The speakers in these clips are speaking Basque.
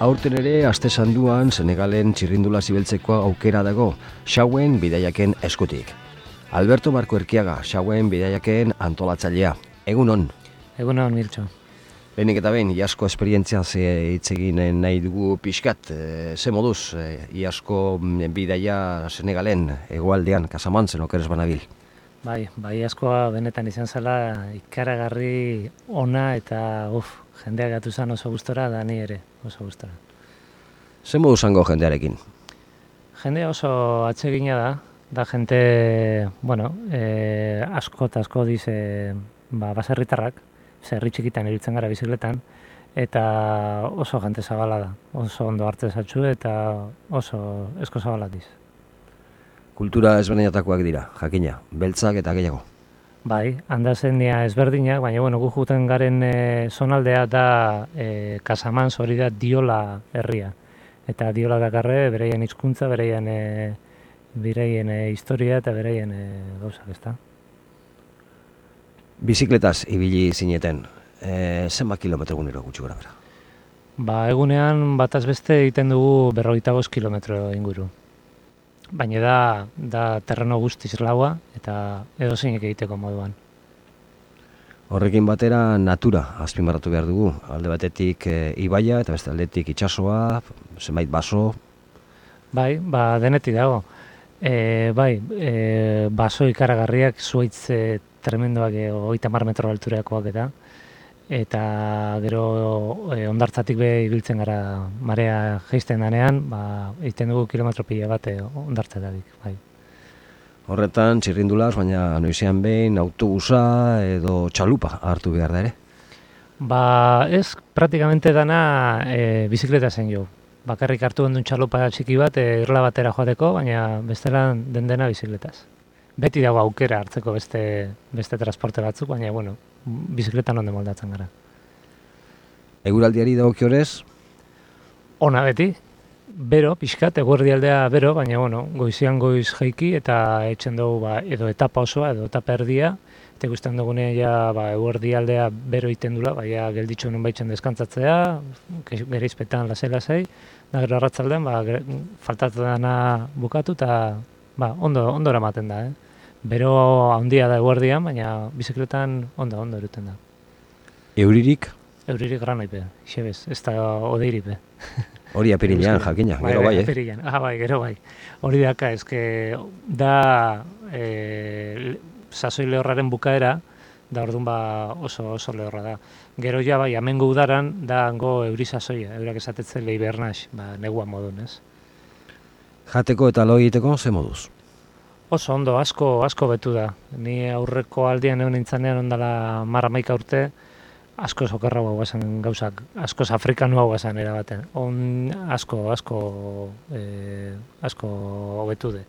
Aurten ere, aste sanduan, Senegalen txirrindula zibeltzeko aukera dago, Xauen bidaiaken eskutik. Alberto Marko Erkiaga, Xauen bidaiaken antolatzailea. Egunon? Egunon, Mirtxo. Lehenik eta behin, iasko esperientzia hitz egin nahi dugu pixkat. Ze moduz, iasko bidaia Senegalen, hegoaldean, Kasamantzen, okeres banabil? Bai, askoa benetan izan zela ikaragarri ona eta jendeak gatu zen oso gustora, da ni ere oso gustora. Ze modu zango jendearekin? Jendea oso atsegina da jente, asko eta asko dize baserritarrak, herri txikitan ibiltzen gara bizikletan, eta oso jente zabala da, oso ondo hartze zatxu eta oso esko zabala diz. Kultura ezberdinetakoak dira, jakina, beltzak eta gehiago. Bai, handazenia ezberdinak, baina gu juten garen zonaldea da Casamance, hori da Diola herria. Eta Diola dakarre bereien hizkuntza, bereien historia eta bereien gauzak, ezta. Bizikletaz ibili zineten, zenbat kilometro egunero gutxi gora bera? Egunean bataz beste egiten dugu 45 kilometro inguru. Baina da terreno guztiz laua eta edozeinek egiteko moduan. Horrekin batera natura azpimarratu behar dugu. Alde batetik ibaia eta beste aldetik itsasoa, zenbait baso. Bai, denetik dago. Baso ikaragarriak, zuaitz tremendoak 30 metro alturakoak eta gero hondartzatik ibiltzen gara marea jaisten danean, egiten dugu kilometro pila bat hondartzetatik, bai. Horretan txirrindulaz, baina noizean behin autobusa edo txalupa hartu behar da ere? Ez, praktikamente dana bizikleta zen jo. Bakarrik hartu gendun txalupa txiki bat, irla batera joateko, baina bestela dena bizikletaz. Beti dago aukera hartzeko beste transporte batzuk, baina, bizikletan onde moldatzen gara. Eguraldiari dagokiorez? Ona beti, bero, pixkat, eguerdialdea bero, baina, goizian goiz jaiki eta etxen dugu edo etapa osoa, edo etapa erdia, eta ikusten dugunean eguerdialdea bero iten dula, gelditxo nun baitzen deskantzatzea, gerizpetan lasai, da gero arratzaldean, faltatzen dana bukatu eta ondo eramaten da, Bero handia da eguerdian, baina bizikletan ondo eruten da. Euririk? Euririk granoipe, xebez, ez da odeiripe. Hori apirilean jakina, gero bai, apirilean. Gero bai. Hori daka, da sasoi lehorraren bukaera, da orduan oso lehorra da. Gero amengo udaran, da hango euri sasoia, eurak esatetzen lehi bernaz, neguan modun, ez? Jateko eta lo egiteko, ze moduz? Oso ondo, asko betu da. Ni aurreko aldian egon nintzanean ondala 11 urte, asko sokerra guazen gauzak, asko afrikanua guazen erabaten. Asko betu de.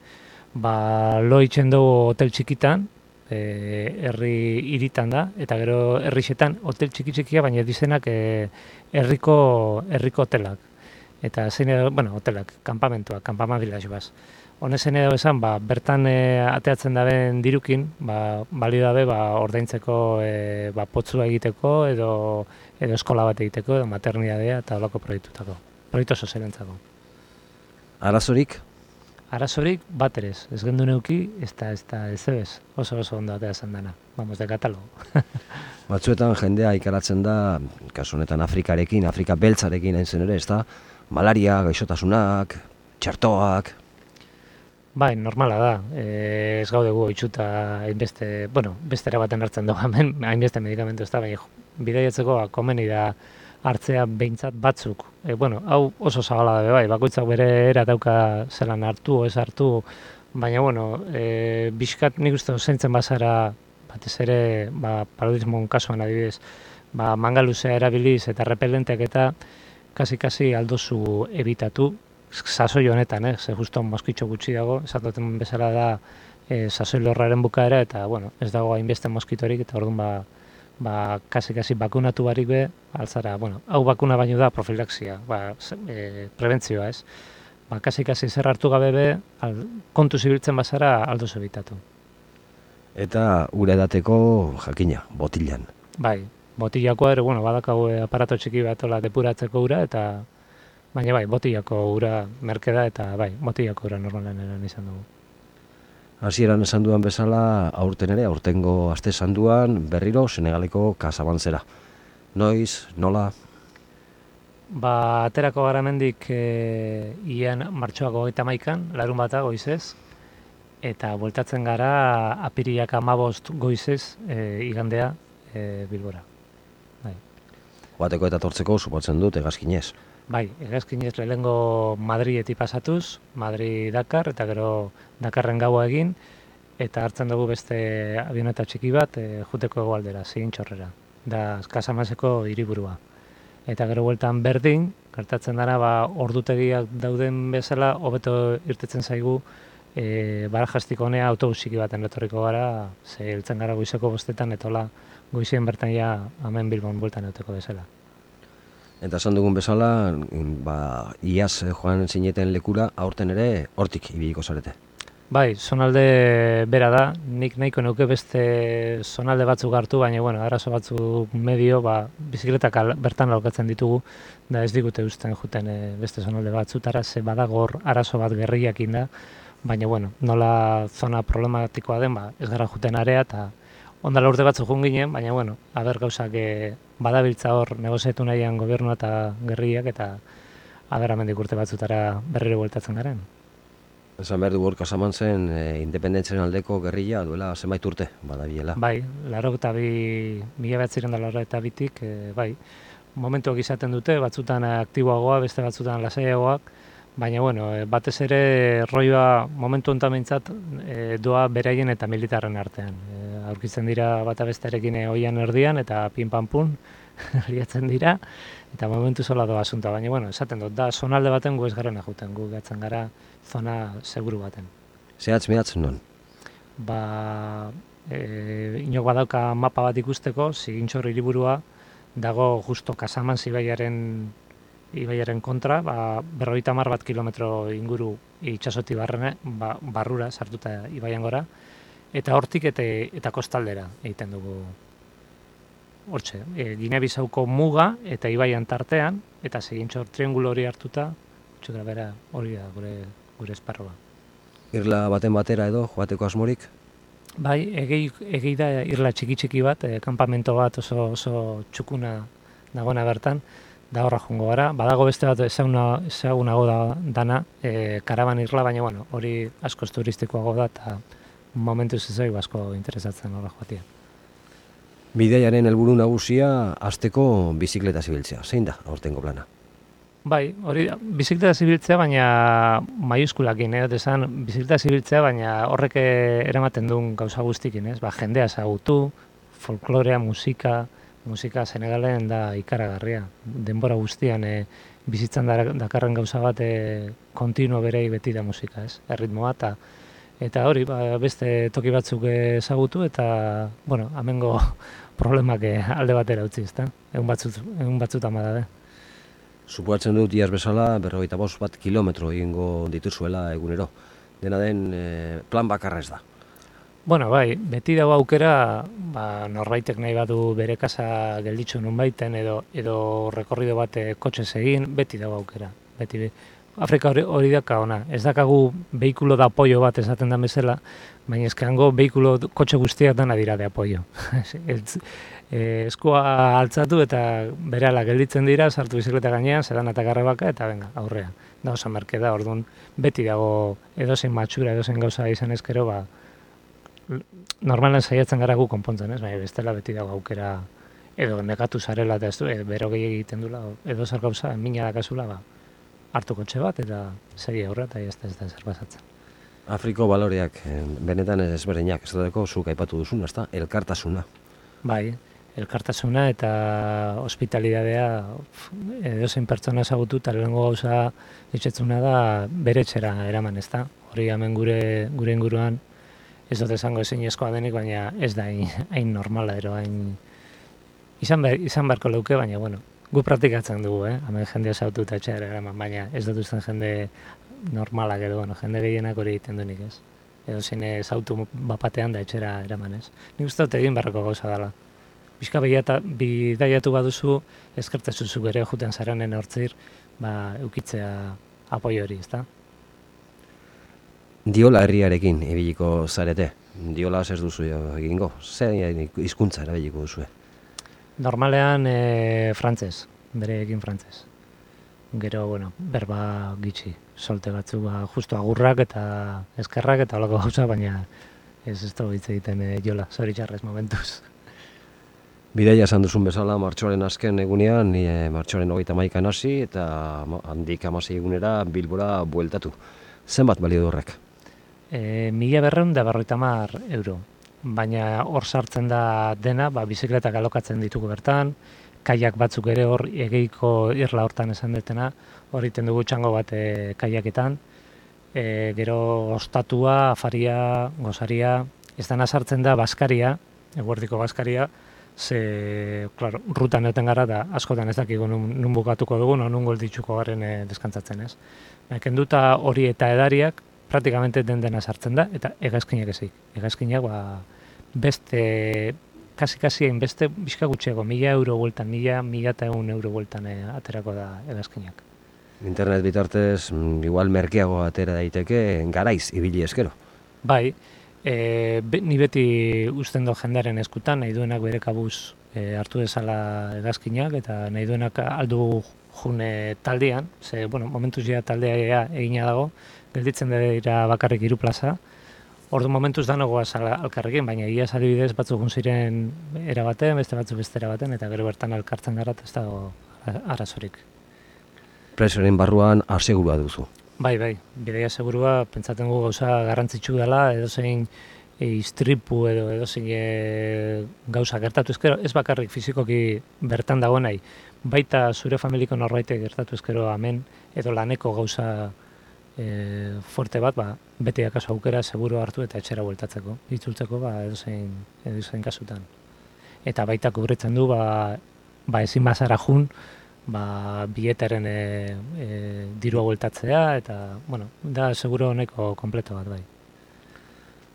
Lo itxen dugu hotel txikitan, herri iritan da, eta gero herrixetan hotel txikia, baina dizenak herriko hotelak. Eta zein hotelak, kampamentuak, kampamabilaz baz. Honezen edo esan, bertan ateatzen daben dirukin, balio dabe ordaintzeko potzua egiteko, edo eskola bat egiteko, edo maternidadea eta olako proiektutako. Proiektu sozialentzako. Arazorik? Arazorik bat ere ez gendu neuki, ez ebez, oso ondo ateatzen dana. Vamos, de katalogo. Batzuetan jendea ikaratzen da, kasu honetan Afrikarekin, Afrika beltzarekin hain zen ere, ez da, malaria, gaixotasunak, txertoak. Bai, normala da. Ez gaude gu itxuta hainbeste, bestera baten hartzen dugu hemen, hainbeste medikamentu ez da, baina bidaiatzeko komeni da hartzea behintzat batzuk. Hau oso zabala da bai, bakoitzak bere era dauka zelan hartu, ez hartu, baina, bizkat nik uste zeintzen bazara, batez ere, paludismon kasuan adibidez, manga luzea erabiliz eta repelenteak eta kasi aldozu ebitatu, sasoi honetan, ze justo moskitxo gutxi dago, esatoten bezala da sasoi lorraren bukaera, eta, ez dago hainbeste moskitorik, eta orduan, kasi bakunatu barik be, altzara, hau bakuna baino da profilaxia, prebentzioa, ez? Kasi zer hartu gabe be, kontu zibiltzen bazara aldoz ebitatu. Eta ura edateko jakina, botilan. Bai, botilakoa ere, badakago aparato txiki bat depuratzeko ura, eta Baina bai, botilako ura merke da eta bai, botilako ura normalan eran izan dugu. Hasieran esan duan bezala, aurten ere, aurtengo aste sanduan berriro Senegaleko Kasabantzera. Noiz, nola? Aterako gara mendik ian martxoak 31an, larun bata goizez, eta bueltatzen gara apiriak 15 goizez igandea Bilbora. Bai. Joateko eta tortzeko supotzen dut hegazkinez. Bai, hegazkinez lehengo Madridetik pasatuz, Madrid-Dakar, eta gero Dakarren gaua egin, eta hartzen dugu beste avioneta txiki bat juteko hegoaldera, Zigintxorrera, da Kasamaseko hiriburua. Eta gero bueltan berdin, gertatzen dara, ordutegiak dauden bezala, hobeto irtetzen zaigu, Barajastik honea autobusiki baten etorriko gara, ze heltzen gara goizeko 5etan, eta hola goizien bertan ja hemen Bilbon bueltan euteko bezala. Eta esan dugun bezala, iaz joan zineten lekura, aurten ere hortik ibiliko zarete. Bai, zonalde bera da, nik nahiko neuke beste zonalde batzuk hartu, baina arazo batzuk medio, bizikletak bertan laukatzen ditugu, da ez digute usten juten beste zonalde batzutara, ze badagor arazo bat gerriakin da, baina nola zona problematikoa den, ez gara juten area, eta ondala urte batzuk joan ginen, baina aber gauzak badabiltza hor negoziatu nahian gobernua eta gerriak, eta aber amendik urte batzutara berriro bueltatzen garen. Esan behar dugu Kasamantzen independentzien aldeko gerrilla duela zenbait urte, badabilela. Bai, 1982tik, bai, momentuak izaten dute, batzutan aktiboagoa, beste batzutan lasaiagoak, baina batez ere roioa momentu honetan behintzat doa beraien eta militarren artean. Aurkitzen dira bata bestearekin oian erdian eta pin-pan-pun liatzen dira, eta momentu zola doa asunta, baina esaten dut, da zonalde baten gu ez garen ajuten, gu gatzen gara zona seguru baten. Zehatz mehatz non? Inok badauka mapa bat ikusteko, Zigintxor hiriburua dago justo Kasamantz ibaiaren kontra, 50 kilometro inguru itsasotik barrura sartuta ibaian gora, eta hortik eta kostaldera egiten dugu hortxe. Gine-Bisauko muga eta ibaian tartean, eta Zigintxor triangulo hori hartuta, txutra bera hori da gure esparroa. Irla baten batera edo joateko asmorik? Bai, egei da irla txiki bat, kanpamento bat oso txukuna dagoena bertan, da horra joango gara. Badago beste bat ezagunago dana, karaban irla, baina hori askoz turistikoago da, eta momentuz ez zaigu asko interesatzen horra joatia. Bidaiaren helburu nagusia hasteko bizikleta zibiltzea. Zein da aurtengo plana? Bai, hori da, bizikleta zibiltzea, baina maiuskulakin, esan bizikleta zibiltzea, baina horrek eramaten duen gauza guztikin, jendea ezagutu, folklorea, musika Senegalen da ikaragarria. Denbora guztian bizitzan dakarren gauza bat kontinuo berei beti da musika, erritmoa, eta hori, beste toki batzuk ezagutu, eta, amengo problemak alde batera utzi, egun batzutan badabe. Supoatzen dut iaz bezala 45 kilometro egingo dituzuela egunero. Dena den plan bakarra ez da. Bai, beti dago aukera, norbaitek nahi badu bere kasa gelditzu nunbaiten edo rekorrido bat kotxez egin, beti dago aukera. Afrika hori daka ona, ez dakagu behikulo da apoio bat esaten da bezala, baina ezkango behikulo kotxe guztiak dana dira de apoio. Eskua altzatu eta berehala gelditzen dira, sartu bizikleta gainean, zedan eta garrebaka, eta venga, aurrean. Da oso merke da, orduan beti dago edozein matxura, edozein gauza izan ezkero, normalan saiatzen gara gu konpontzen, baina bestela beti dago aukera edo negatu zarela eta ez du, bero gehiagik egiten dula, edo zer gauza, mina dakazula, hartu kotxe bat eta segi aurra eta ez da zer pasatzen. Afriko baloreak benetan ezberdinak, ez dut zuk aipatu duzun, ezta? Elkartasuna. Bai, elkartasuna eta hospitalidadea edozein pertsona ezagutu eta lehenengo gauza etxetzuna da bere etxera eraman, ezta? Hori hemen gure inguruan ez dut esango ezinezkoa denik, baina ez da hain normala ero, hain izan beharko leuke, baina gu praktikatzen dugu, hemen jendea ezagutu eta etxera eraman, baina ez dut usten jende normalak edo, jende gehienak hori egiten duenik, ez? Edo zein ezautu bapatean da etxera eraman, ez? Nik uste dut egin beharreko gauza dela. Bizka bidaiatu baduzu, eskertezuzu gero juten zaranen hortzir, eukitzea apoio hori, ezta? Diola herriarekin ibiliko zarete. Diola ez duzu egingo. Zer hizkuntza erabiliko duzue? Normalean frantzez, bereekin frantzez. Gero, berba gitxi, solte batzu, justu agurrak eta eskerrak eta holako gauza, baina ez dugu hitz egiten jola, zoritxarrez momentuz. Bidaia esan duzun bezala, martxoaren azken egunean, martxoaren 31 hasi eta handik 16 egunera Bilbora bueltatu. Zenbat balio du horrek? 1.250 euro. Baina hor sartzen da dena, bizikletak alokatzen ditugu bertan, kaiak batzuk ere hor egeiko irla hortan esan detena, hor iten dugu txango bat kaiaketan, gero ostatua, afaria, gozaria, ez dena sartzen da baskaria, eguerdiko baskaria, ze, klaro, rutan egoten gara da askotan ez dakigu nun bukatuko dugu, nun golditzuko garen deskantzatzen, ez. Kenduta hori eta edariak, praktikamente dena sartzen da, eta hegazkinak ezik. Hegazkinak, beste, kasi hainbeste, bizka gutxiago, 1.000 euro bueltan, 1.100 euro bueltan aterako da hegazkinak. Internet bitartez, igual merkeago atera daiteke, garaiz, ibili eskero. Bai, ni beti uzten do jendearen eskutan, nahi duenak bere kabuz hartu dezala hegazkinak, eta nahi duenak aldu june taldean, ze, momentuz ja taldea egina dago, gelditzen dira bakarrik 3 plaza, ordu momentuz danogoaz alkarrekin, baina ia adibidez batzuk ziren erabaten, beste batzuk beste erabaten, eta gero bertan alkartzen gara, ez dago arazorik. Presoren barruan asegurua duzu. Bai, bidaia segurua, pentsaten gu gauza garrantzitsu dela, edozein istripu edo edozein gauza gertatu ezkero, ez bakarrik fizikoki bertan dago nahi, baita zure familiko norbaitek gertatu ezkero hemen, edo laneko gauza fuerte bat, beti akaso aukera seguru hartu eta etxera bueltatzeko, itzultzeko edozein kasutan. Eta baita kubritzen du, ezin bazara jun, biletaren dirua bueltatzea, eta, da seguro honeko kompleto bat, bai.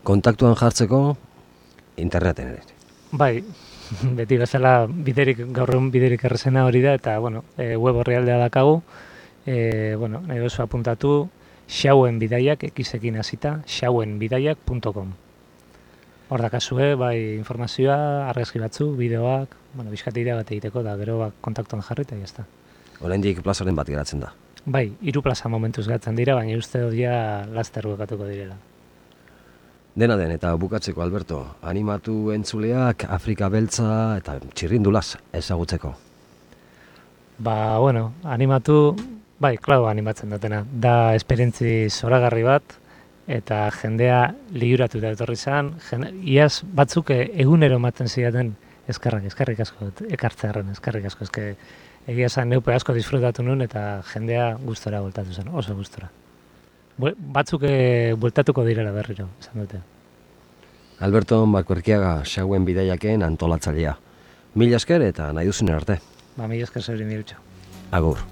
Kontaktuan jartzeko, interneten ere. Bai, beti bezala gaur egun biderik errezena hori da, eta, web orrialdea dakagu, nahi dozu apuntatu, Xauen bidaiak, ekizekin hasita, xauenbidaiak.com. Hor dakazue, bai informazioa, argazki batzu, bideoak, bizkateidea bat egiteko, da gero kontaktuan jarri eta jazta. Oraindik plazaren bat geratzen da. Bai, 3 plaza momentuz geratzen dira, baina uste dut ja laster bukatuko direla. Dena den, eta bukatzeko, Alberto, animatu entzuleak Afrika beltza eta txirrindulaz ezagutzeko. Animatu, bai, animatzen dutena. Da esperientzi zoragarri bat, eta jendea liuratu da etorri zen, iaz batzuk egunero ematen zidaten eskerrik asko, ekartzearen, eskerrik asko, egia zen neupe asko disfrutatu nuen, eta jendea gustora bueltatu zen, oso gustora. Batzuk bueltatuko direla berriro, esan dute. Alberto Markuerkiaga, Xauen bidaiaken antolatzailea. Mila esker eta nahi duzen arte. Mila esker zeuri mirutxo. Agur.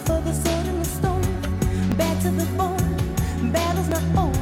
For the sword and the stone, back to the bone, battle's not over.